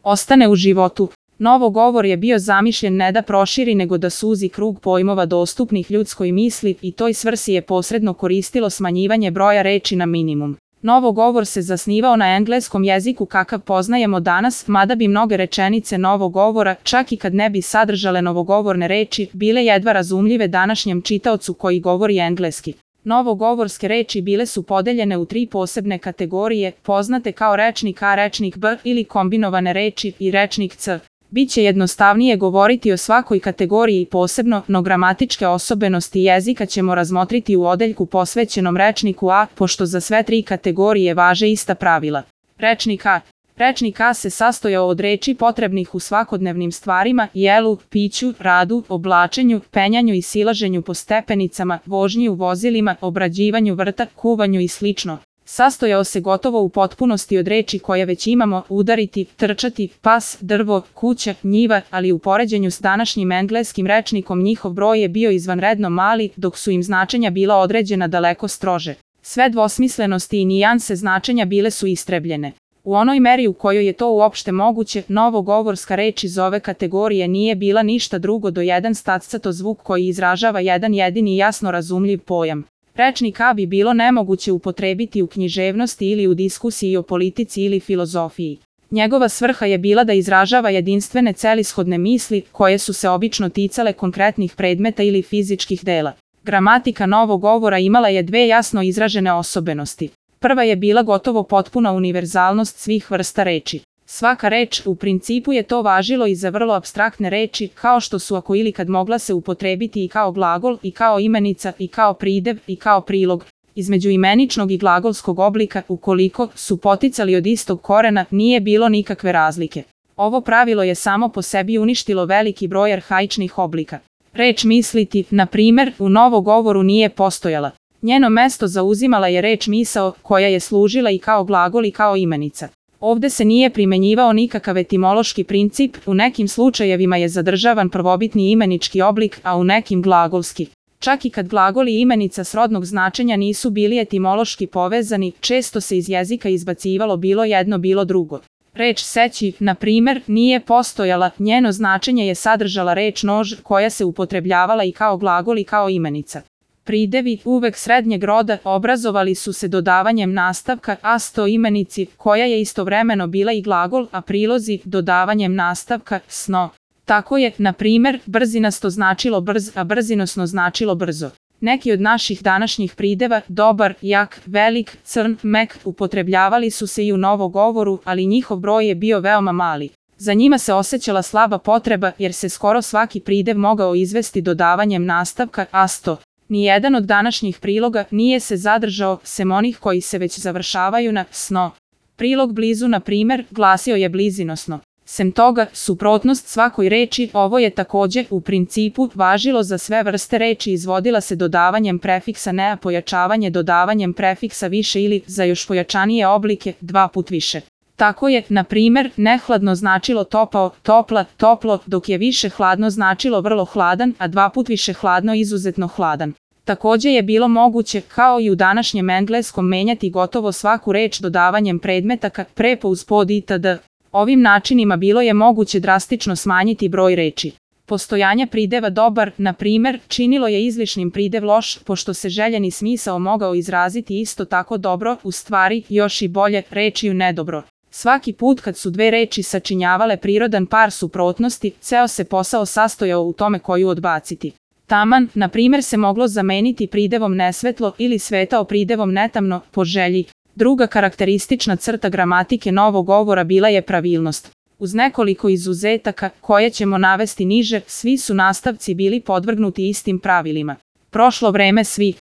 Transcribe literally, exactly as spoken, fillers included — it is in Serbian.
ostane u životu. Novogovor je bio zamišljen ne da proširi nego da suzi krug pojmova dostupnih ljudskoj misli i toj svrsi je posredno koristilo smanjivanje broja reči na minimum. Novogovor se zasnivao na engleskom jeziku kakav poznajemo danas, mada bi mnoge rečenice novogovora, čak i kad ne bi sadržale novogovorne reči, bile jedva razumljive današnjem čitaocu koji govori engleski. Novogovorske reči bile su podeljene u tri posebne kategorije, poznate kao rečnik A, rečnik B ili kombinovane reči i rečnik C. Biće jednostavnije govoriti o svakoj kategoriji posebno, no gramatičke osobenosti jezika ćemo razmotriti u odeljku posvećenom rečniku A, pošto za sve tri kategorije važe ista pravila. Rečnik A. Rečnik A se sastojao od reči potrebnih u svakodnevnim stvarima, jelu, piću, radu, oblačenju, penjanju i silaženju po stepenicama, vožnji u vozilima, obrađivanju vrta, kuvanju i slično. Sastojao se gotovo u potpunosti od reči koje već imamo, udariti, trčati, pas, drvo, kuća, njiva, ali u poređenju s današnjim engleskim rečnikom njihov broj je bio izvanredno mali, dok su im značenja bila određena daleko strože. Sve dvosmislenosti i nijanse značenja bile su istrebljene. U onoj meri u kojoj je to uopšte moguće, novogovorska reč iz ove kategorije nije bila ništa drugo do jedan staccato zvuk koji izražava jedan jedini jasno razumljiv pojam. Rečnik A bi bilo nemoguće upotrebiti u književnosti ili u diskusiji o politici ili filozofiji. Njegova svrha je bila da izražava jedinstvene celishodne misli, koje su se obično ticale konkretnih predmeta ili fizičkih dela. Gramatika novogovora imala je dve jasno izražene osobenosti. Prva je bila gotovo potpuna univerzalnost svih vrsta reči. Svaka reč, u principu je to važilo i za vrlo apstraktne reči, kao što su ako ili kad mogla se upotrebiti i kao glagol, i kao imenica, i kao pridev, i kao prilog. Između imeničnog i glagolskog oblika, ukoliko su poticali od istog korena, nije bilo nikakve razlike. Ovo pravilo je samo po sebi uništilo veliki broj arhaičnih oblika. Reč misliti, na primer, u novogovoru nije postojala. Njeno mesto zauzimala je reč misao, koja je služila i kao glagol i kao imenica. Ovde se nije primenjivao nikakav etimološki princip, u nekim slučajevima je zadržavan prvobitni imenički oblik, a u nekim glagolski. Čak i kad glagol i imenica srodnog značenja nisu bili etimološki povezani, često se iz jezika izbacivalo bilo jedno bilo drugo. Reč seći, na primer, nije postojala, njeno značenje je sadržala reč nož, koja se upotrebljavala i kao glagol i kao imenica. Pridevi, uvek srednjeg roda, obrazovali su se dodavanjem nastavka asto imenici, koja je istovremeno bila i glagol, a prilozi dodavanjem nastavka sno. Tako je, na primer, brzinasto značilo brz, a brzinosno značilo brzo. Neki od naših današnjih prideva, dobar, jak, velik, crn, mek, upotrebljavali su se i u novogovoru, ali njihov broj je bio veoma mali. Za njima se osjećala slaba potreba, jer se skoro svaki pridev mogao izvesti dodavanjem nastavka asto. Nijedan od današnjih priloga nije se zadržao, sem onih koji se već završavaju na sno. Prilog blizu, na primer, glasio je blizinosno. Sem toga, suprotnost svakoj reči, ovo je takođe, u principu, važilo za sve vrste reči, izvodila se dodavanjem prefiksa ne, a pojačavanje dodavanjem prefiksa više ili, za još pojačanije oblike, dva put više. Tako je, na primer, nehladno značilo topao, topla, toplo, dok je više hladno značilo vrlo hladan, a dva put više hladno izuzetno hladan. Takođe je bilo moguće, kao i u današnjem engleskom, menjati gotovo svaku reč dodavanjem predmetaka, prepo uz pod itd. Ovim načinima bilo je moguće drastično smanjiti broj reči. Postojanje prideva dobar, na primer, činilo je izlišnim pridev loš, pošto se željeni smisao mogao izraziti isto tako dobro, u stvari, još i bolje, rečiju nedobro. Svaki put kad su dve reči sačinjavale prirodan par suprotnosti, ceo se posao sastojao u tome koju odbaciti. Taman, na primer, se moglo zameniti pridevom nesvetlo ili svetao pridevom netamno, po želji. Druga karakteristična crta gramatike novogovora bila je pravilnost. Uz nekoliko izuzetaka, koje ćemo navesti niže, svi su nastavci bili podvrgnuti istim pravilima. Prošlo vreme svi.